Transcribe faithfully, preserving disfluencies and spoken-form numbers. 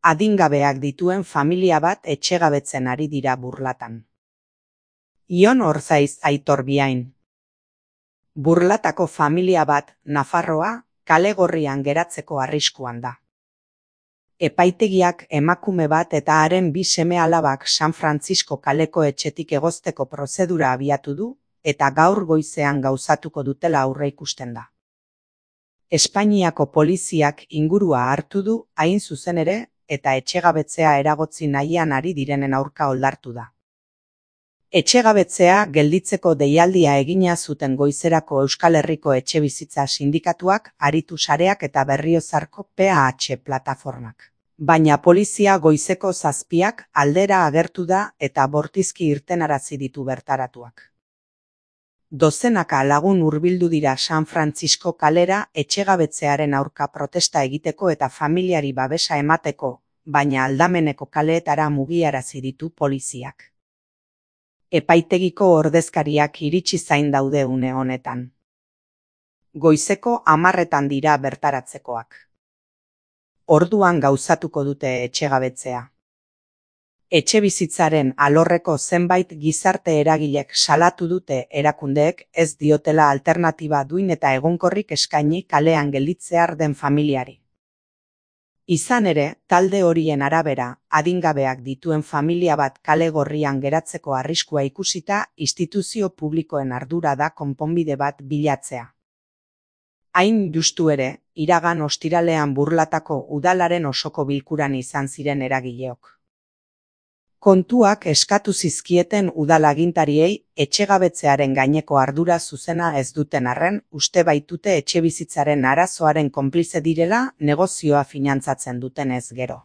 adingabeak dituen familia bat etxegabetzen ari dira Burlatan. Ion Orzaiz Aitor Biain. Burlatako familia bat, Nafarroa, kale gorrian geratzeko arriskuan da. Epaitegiak emakume bat eta haren bi seme-alabak San Francisco kaleko etxetik egozteko prozedura abiatu du, eta gaur goizean gauzatuko dutela aurreikusten da. Espainiako poliziak ingurua hartu du, hain zuzen ere, eta etxegabetzea eragotzi nahian ari direnen aurka oldartu da. Etxegabetzea gelditzeko deialdia egina zuten goizerako Euskal Herriko Etxebizitza Sindikatuak, Aritu Sareak eta Berriozarko P H plataformak. Baina polizia goizeko zazpiak aldera agertu da eta bortizki irtenarazi ditu bertaratuak. Dozenaka lagun hurbildu dira San Francisco kalera etxegabetzearen aurka protesta egiteko eta familiari babesa emateko, baina aldameneko kaleetara mugiarazi ditu poliziak. Epaitegiko ordezkariak iritsi zain daude une honetan. Goizeko hamarretan dira bertaratzekoak. Orduan gauzatuko dute etxegabetzea. Etxebizitzaren alorreko zenbait gizarte eragilek salatu dute erakundeek ez diotela alternatiba duin eta egonkorrik eskaini kalean gelditzear den familiari. Izan ere, talde horien arabera, adingabeak dituen familia bat kale gorrian geratzeko arriskua ikusita, instituzio publikoen ardura da konponbide bat bilatzea. Hain justu ere, iragan ostiralean Burlatako udalaren osoko bilkuran izan ziren eragileok. Kontuak eskatu zizkieten udalagintariei etxegabetzearen gaineko ardura zuzena ez duten arren, uste baitute etxebizitzaren arazoaren konplize direla negozioa finantzatzen dutenez gero.